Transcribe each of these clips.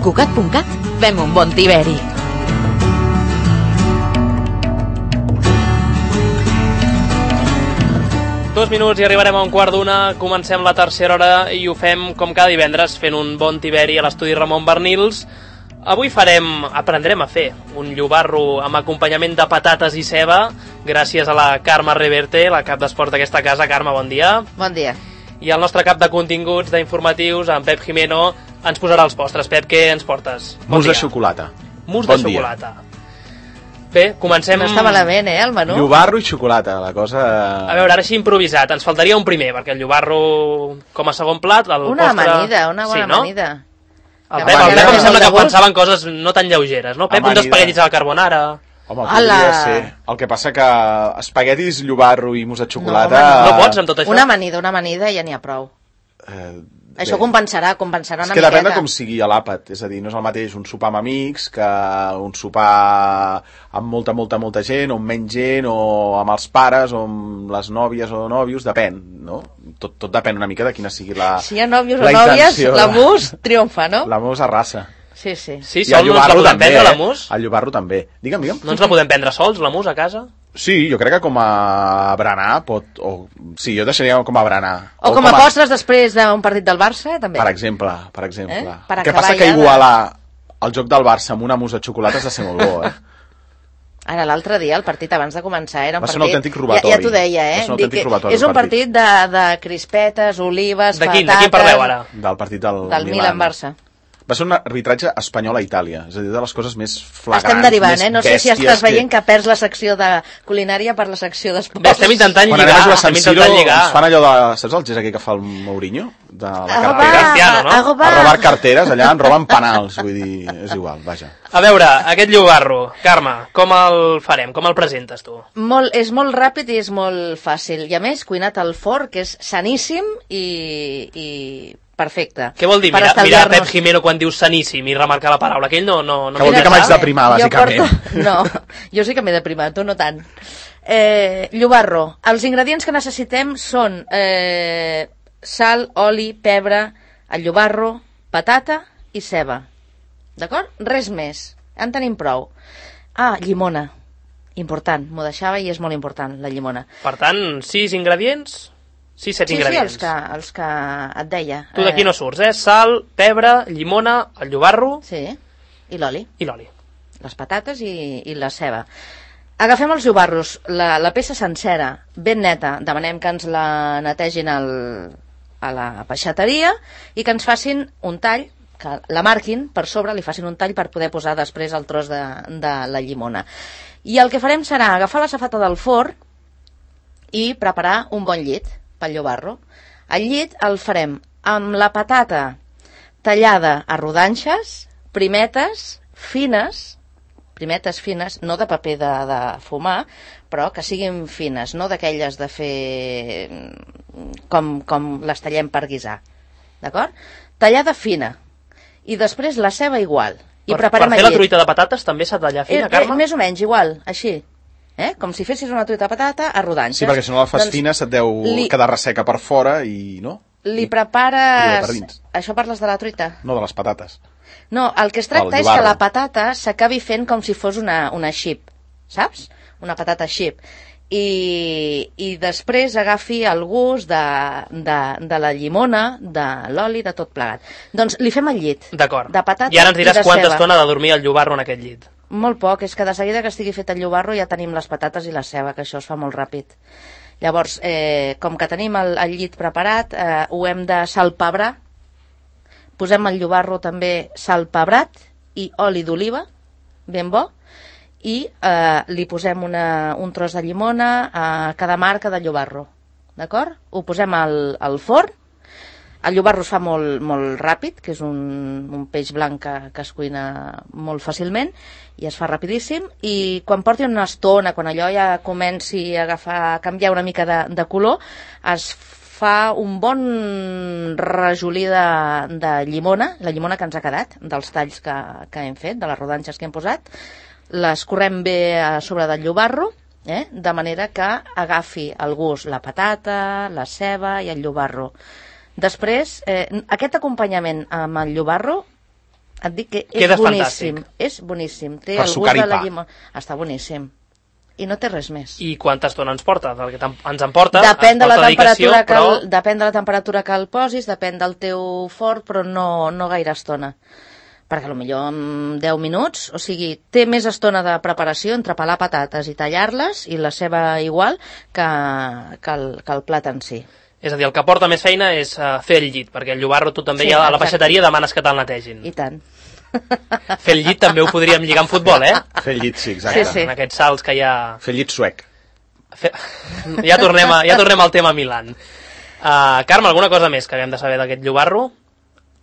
Cugat.cat fem un bon tiberi. Dos minuts i arribarem a un quart d'una. Comencem la tercera hora i ho fem com cada divendres, fent un bon tiberi a l'estudi Ramon Bernils. Avui aprendrem a fer un llobarro amb acompanyament de patates i ceba, gràcies a la Carme Reverte, la cap d'esport d'aquesta casa. Carme, bon dia. Bon dia. I el nostre cap de continguts, d'informatius, en Pep Jimeno, ens posarà els postres. Pep, què ens portes? Mus de xocolata. Mus de xocolata. Bé, comencem... No està malament, el menú? Llobarro i xocolata, la cosa... A veure, ara així improvisat, ens faltaria un primer, perquè el llobarro com a segon plat... Una amanida, una bona amanida. El Pep em sembla que pensava en coses no tan lleugeres, no? Pep, uns espaguetis a la carbonara... Home, podria ser. El que passa que espaguetis, llobarro i mus de xocolata... No pots amb tot això? Una amanida ja n'hi ha prou. Això compensarà una miqueta. És que depèn de com sigui l'àpat, és a dir, no és el mateix un sopar amb amics que un sopar amb molta gent, o amb menys gent, o amb els pares, o amb les nòvies o nòvios, depèn, no? Tot depèn una mica de quina sigui la intenció. Si hi ha nòvios o nòvies, la mus triomfa, no? La mus arrasa. Sí. Sí, sol no ens la podem prendre, la mus? El llobarro també. Digue'm. No ens la podem prendre sols, la mus, a casa? Sí, jo crec que com a berenar pot... Sí, jo deixaria com a berenar. O com a postres després d'un partit del Barça, també. Per exemple. El que passa que igualar el joc del Barça amb una mus de xocolata has de ser molt bo, Ara, l'altre dia, el partit abans de començar, era un partit... Va ser un autèntic robatori. Ja t'ho deia, Va ser un autèntic robatori. És un partit de crispetes, olives, patates... De quin parleu ara? Del partit del Milan-Barça. Va ser un arbitratge espanyol a Itàlia, és a dir, de les coses més flagrants, estem derivant, més no sé si estàs veient que perds la secció de culinària per la secció d'esports. Bé, estem intentant lligar. Quan anem a jugar a San Siro, ens fan allò de... Saps el gest aquell que fa el Mourinho? De la cartera? A robar carteres, allà en roben penals, vull dir, és igual, vaja. A veure, aquest llobarro, Carme, com el farem? Com el presentes tu? És molt ràpid i és molt fàcil. I a més, cuinat al forn, que és saníssim i perfecte. Què vol dir mirar Pep Jimeno quan diu saníssim i remarcar la paraula? Aquell no... Que vol dir que m'haig deprimar, bàsicament. No, jo sí que m'he deprimat, tu no tant. Llobarro. Els ingredients que necessitem són sal, oli, pebre, el llobarro, patata i ceba. D'acord? Res més. En tenim prou. Llimona. Important. M'ho deixava i és molt important, la llimona. Per tant, 6 ingredients... 6-7 ingredients. Sí, els que et deia. Tu d'aquí no surts, Sal, pebre, llimona, el llobarro... Sí, i l'oli. I l'oli. Les patates i la ceba. Agafem els llobarros, la peça sencera, ben neta, demanem que ens la netegin a la peixateria i que ens facin un tall, que la marquin per sobre, li facin un tall per poder posar després el tros de la llimona. I el que farem serà agafar la safata del forn i preparar un bon llit pel llobarro. El llit el farem amb la patata tallada a rodanxes, primetes fines, no de paper de fumar, però que siguin fines, no d'aquelles de fer com les tallem per guisar. D'acord? Tallada fina. I després la ceba igual. I per fer la truita de patates també s'ha de tallar fina, Carme? Més o menys igual, així. Com si fessis una truita de patata a rodanxes. Sí, perquè si no la fas fina se't deu quedar resseca per fora i no? Li prepares... Això parles de la truita? No, de les patates. No, el que es tracta és que la patata s'acabi fent com si fos una xip, saps? Una patata xip. I després agafi el gust de la llimona, de l'oli, de tot plegat. Doncs li fem el llit. D'acord. De patata i de ceba. I ara ens diràs quanta estona ha de dormir el llobarro en aquest llit. Molt poc, és que de seguida que estigui fet el llobarro ja tenim les patates i la ceba, que això es fa molt ràpid. Llavors, com que tenim el llit preparat, ho hem de salpebrar. Posem el llobarro també salpebrat i oli d'oliva, ben bo, i li posem un tros de llimona a cada marca de llobarro. D'acord? Ho posem al forn. El llobarro es fa molt ràpid, que és un peix blanc que es cuina molt fàcilment, i es fa rapidíssim, i quan porti una estona, quan allò ja comenci a canviar una mica de color, es fa un bon rajolí de llimona, la llimona que ens ha quedat, dels talls que hem fet, de les rodanxes que hem posat, l'escorrem bé a sobre del llobarro, de manera que agafi el gust la patata, la ceba i el llobarro. Després, aquest acompanyament amb el llobarro Et dic que és Queda boníssim. fantàstic. És boníssim. Té Per el sucar gust i de la pa. llimona. Està boníssim. I no té res més. I quanta estona ens porta? Perquè ens en porta, Depèn de, la dedicació, temperatura que però... depèn de la temperatura que el posis, depèn del teu forn, però no gaire estona. Perquè potser en 10 minuts, o sigui, té més estona de preparació entre pelar patates i tallar-les, i la ceba igual, que el plat en si. És a dir, el que porta més feina és fer el llit, perquè el llobarro tu també Sí, ja a la exacte. peixateria demanes que te'l netegin. I tant. Fer el llit també ho podríem lligar amb futbol, eh? Fer el llit, sí, exacte. Sí. En aquests salts que hi ha... Fer el llit suec. Ja tornem al tema Milan. Carme, alguna cosa més que haguem de saber d'aquest llobarro?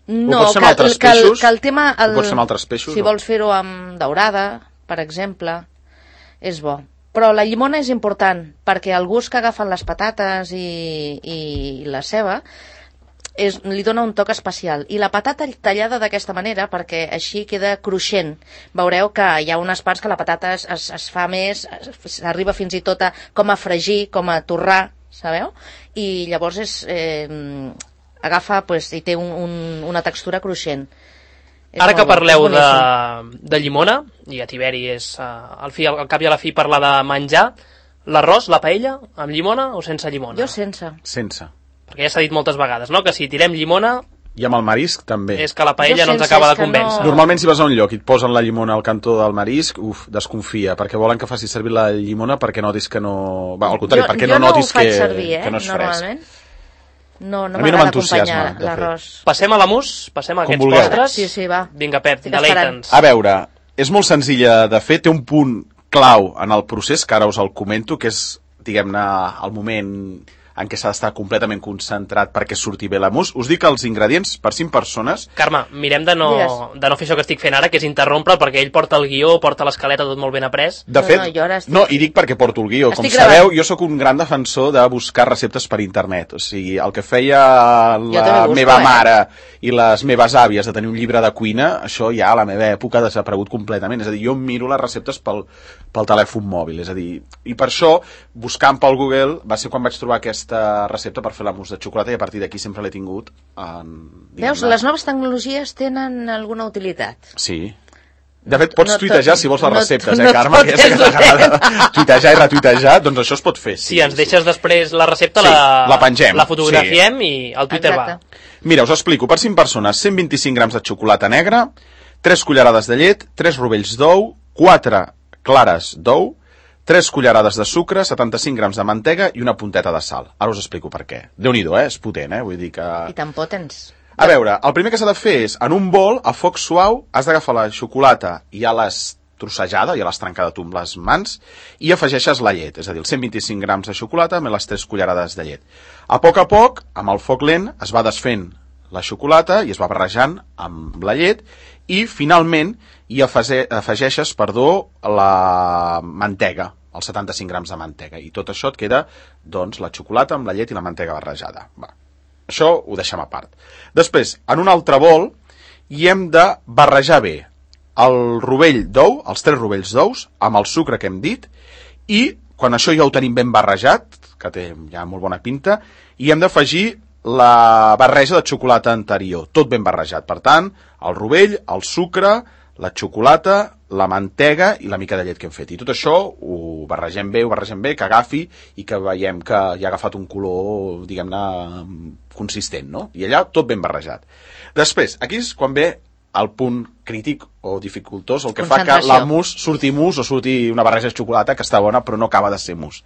No, pots fer amb altres peixos? que el tema... Ho pots fer amb altres peixos, Si o? vols fer-ho amb daurada, per exemple, és bo. Però la llimona és important, perquè el gust que agafen les patates i la ceba li dona un toc especial. I la patata tallada d'aquesta manera, perquè així queda cruixent. Veureu que hi ha unes parts que la patata es fa més, s'arriba fins i tot com a fregir, com a torrar, sabeu? I llavors agafa i té una textura cruixent. Ara que parleu de llimona, i a Tiberi és al cap i a la fi parlar de menjar, l'arròs, la paella, amb llimona o sense llimona? Jo sense. Sense. Perquè ja s'ha dit moltes vegades, no?, que si tirem llimona I amb el marisc també. és que la paella Jo no ens sense, acaba és de que convèncer. no. Normalment si vas a un lloc i et posen la llimona al cantó del marisc, desconfia, perquè volen que facis servir la llimona perquè notis que no... Va, al contrari, perquè no notis que no és fresc. normalment. No A mi no m'agrada m'entusiasma, acompanyar de fet. l'arròs. Passem a l'amús, passem a Com aquests vulgueu. postres. Sí, va. Vinga, Pep, Estic esperant. deleita'ns. A veure, és molt senzilla de fer, té un punt clau en el procés, que ara us el comento, que és, diguem-ne, el moment en què s'ha d'estar completament concentrat perquè surti bé la mousse. Us dic els ingredients per 5 persones. Carme, mirem de no fer això que estic fent ara, que és interrompre'l, perquè ell porta el guió, porta l'escaleta tot molt ben après. De fet, jo ara estic... no, i dic perquè porto el guió. Com Estic sabeu, gravant. jo sóc un gran defensor de buscar receptes per internet. O sigui, el que feia també la busco, meva mare i les meves àvies de tenir un llibre de cuina, això ja a la meva època ha desaparegut completament. És a dir, jo miro les receptes pel telèfon mòbil. És a dir, i per això, buscant pel Google, va ser quan vaig trobar aquesta recepta per fer la mousse de xocolata i a partir d'aquí sempre l'he tingut Veus, les noves tecnologies tenen alguna utilitat. Sí. De fet, pots tuitejar si vols les receptes, no Carme? et Que ja sé que t'agrada tuitejar i retuitejar, doncs això es pot fer. Si ens deixes després la recepta, Sí, la pengem, la fotografiem i el Twitter va. Mira, us explico. Per 5 persones, 125 grams de xocolata negra, 3 cullerades de llet, 3 rovells d'ou, 4 clares d'ou, 3 cullerades de sucre, 75 grams de mantega i una punteta de sal. Ara us explico per què. Déu-n'hi-do, és potent, Vull dir que... I tan potents. A veure, el primer que s'ha de fer és, en un bol, a foc suau, has d'agafar la xocolata i ja l'has trossejada, ja l'has trencada tu amb les mans, i afegeixes la llet, és a dir, els 125 grams de xocolata amb les 3 cullerades de llet. A poc, amb el foc lent, es va desfent la xocolata i es va barrejant amb la llet, i finalment hi afegeixes, la mantega, els 75 grams de mantega, i tot això et queda, doncs, la xocolata amb la llet i la mantega barrejada. Va. Això ho deixem a part. Després, en un altre bol, hi hem de barrejar bé el rovell d'ou, els 3 rovells d'ous, amb el sucre que hem dit, i quan això ja ho tenim ben barrejat, que té ja molt bona pinta, hi hem d'afegir la barreja de xocolata anterior, tot ben barrejat. Per tant, el rovell, el sucre, la xocolata, la mantega i la mica de llet que hem fet. I tot això ho barregem bé, que agafi i que veiem que ja ha agafat un color, diguem-ne, consistent, no? I allà tot ben barrejat. Després, aquí és quan ve el punt crític o dificultós, el que fa que la mousse surti mousse o surti una barreja de xocolata que està bona però no acaba de ser mousse.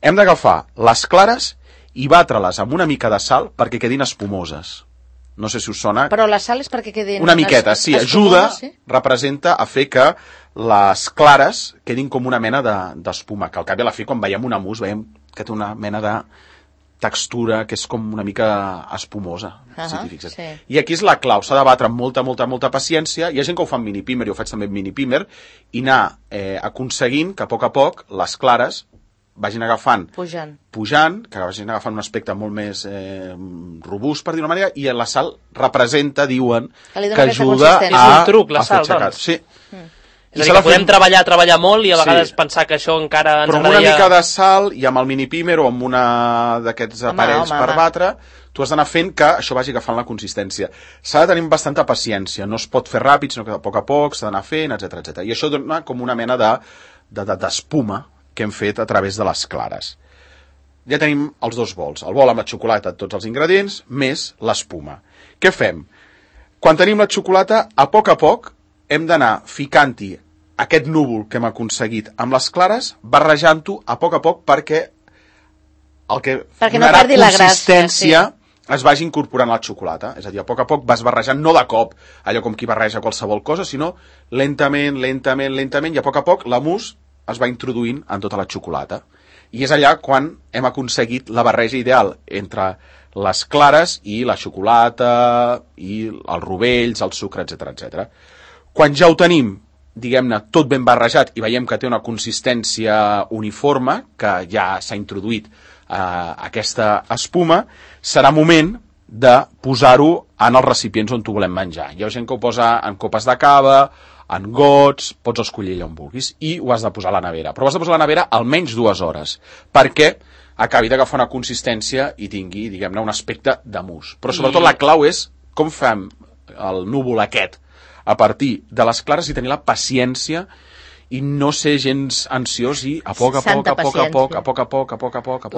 Hem d'agafar les clares i batre-les amb una mica de sal perquè quedin espumoses. No sé si us sona. Però la sal és perquè quedin... Una miqueta, sí, ajuda, representa a fer que les clares quedin com una mena d'espuma, que al cap i a la fi, quan veiem una mousse, veiem que té una mena de textura que és com una mica espumosa, si t'hi fixes. Sí. I aquí és la clau, s'ha de batre amb molta paciència. Hi ha gent que ho fa amb mini-pimer, jo ho faig també amb mini-pimer, i anar aconseguint que a poc les clares vagin agafant, pujant, que vagin agafant un aspecte molt més robust, per dir-ho manera, i la sal representa, diuen, que ajuda a un truc, la sal, doncs. Sí. És a dir, que podem treballar molt i a vegades pensar que això encara ens agradaria... Però amb una mica de sal i amb el mini-pimer o amb una d'aquests aparells per batre, tu has d'anar fent que això vagi agafant la consistència. S'ha de tenir bastanta paciència, no es pot fer ràpid, sinó que a poc s'ha d'anar fent, etc. I això dona com una mena d'espuma que hem fet a través de les clares. Ja tenim els dos bols, el bol amb la xocolata, tots els ingredients, més l'espuma. Què fem? Quan tenim la xocolata, a poc hem d'anar ficant-hi aquest núvol que hem aconseguit amb les clares, barrejant-ho a poc perquè el que donarà consistència es vagi incorporant a la xocolata. És a dir, a poc vas barrejant, no de cop, allò com qui barreja qualsevol cosa, sinó lentament, i a poc la mousse es va introduint en tota la xocolata. I és allà quan hem aconseguit la barreja ideal entre les clares i la xocolata, i els rovells, el sucre, etc. Quan ja ho tenim, diguem-ne, tot ben barrejat i veiem que té una consistència uniforme, que ja s'ha introduït aquesta espuma, serà moment de posar-ho en els recipients on tu volem menjar. Hi ha gent que ho posa en copes de cava, en gots, pots escollir allà on vulguis, i ho has de posar a la nevera. Però ho has de posar a la nevera almenys 2 hores, perquè acabi d'agafar una consistència i tingui, diguem-ne, un aspecte de mousse. Però sobretot la clau és com fem el núvol aquest a partir de les clares i tenir la paciència i no ser gens ansiós i a poc.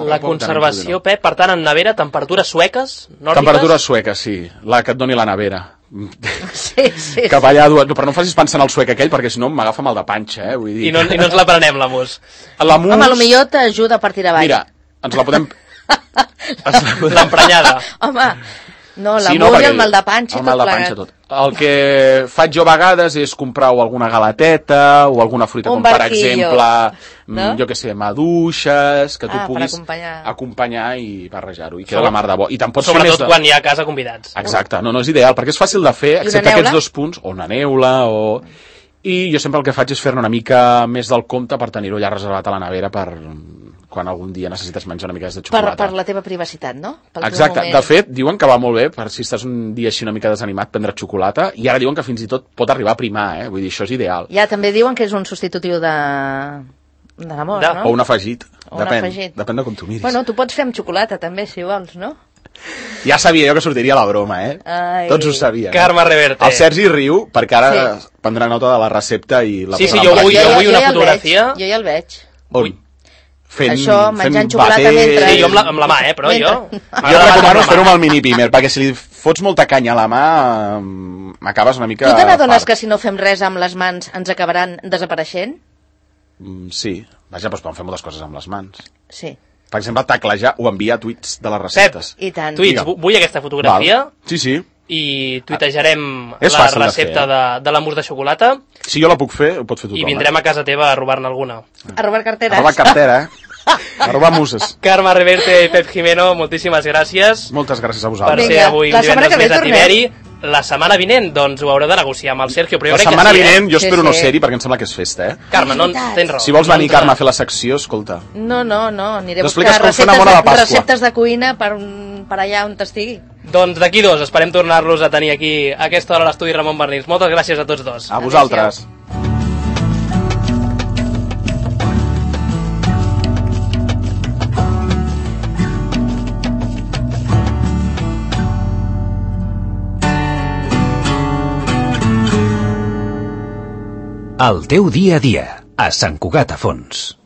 La conservació, Pep, per tant, en nevera, temperatures sueques, nòrdiques? Temperatures sueques, sí. La que et doni la nevera. Sí. Cap allà, però no facis pensar en el suec aquell, perquè si no m'agafa mal de panxa, Vull dir. I no ens la prenem, la mousse. Home, potser t'ajuda a partir avall. Mira, ens la podem... L'emprenyada. Home... No, la mousse i el mal de panxa, tot plegat. El que faig jo a vegades és comprar alguna galateta o alguna fruita, com per exemple, jo què sé, maduixes, que tu puguis acompanyar i barrejar-ho, i queda la mar de bo. I sobretot quan hi ha a casa convidats. Exacte, no és ideal, perquè és fàcil de fer, excepte aquests 2 punts, o una neula, I jo sempre el que faig és fer-ne una mica més del compte per tenir-ho ja reservat a la nevera per quan algun dia necessites menjar una mica de xocolata. Per la teva privacitat, no? Exacte. De fet, diuen que va molt bé per si estàs un dia així una mica desanimat prendre xocolata, i ara diuen que fins i tot pot arribar a primar, Vull dir, això és ideal. Ja, també diuen que és un substitutiu de l'amor, no? O un afegit. Depèn de com tu miris. Bueno, tu pots fer amb xocolata també, si vols, no? Ja sabia jo que sortiria la broma, Tots ho sabien. Carme Reverte. El Sergi riu, perquè ara prendrà nota de la recepta i la Sí, jo vull una fotografia. Jo ja el veig. On? Això, menjant xocolata mentre... Sí, jo amb la mà, però jo... Jo recomano fer-ho amb el mini-pimer, perquè si li fots molta canya a la mà, m'acabes una mica... Tu te n'adones que si no fem res amb les mans ens acabaran desapareixent? Sí. Vaja, doncs podem fer moltes coses amb les mans. Sí. Per exemple, taclejar o enviar tuits de les receptes. Pep, i tant. Tuits, vull aquesta fotografia. Sí. I tuitejarem la recepta de la mousse de xocolata. Si jo la puc fer, ho pot fer tothom. I vindrem a casa teva a robar-ne alguna. A robar carteres. A robar cartera, A robar muses. Carme Reverte i Pep Jimeno, moltíssimes gràcies. Moltes gràcies a vosaltres. Per ser avui un divendres més a Tiberi. La setmana vinent, doncs, ho haureu de negociar amb el Sergio. Però la setmana vinent jo espero no ser-hi perquè em sembla que és festa, Carme, no tens raó. Si vols venir, Carme, a fer la secció, escolta. No, aniré a buscar receptes de cuina per allà on t'estigui. Doncs d'aquí 2 esperem tornar-los a tenir aquí a aquesta hora a l'estudi Ramon Bernils. Moltes gràcies a tots 2. A vosaltres. El teu dia a dia, a Sant Cugat a Fons.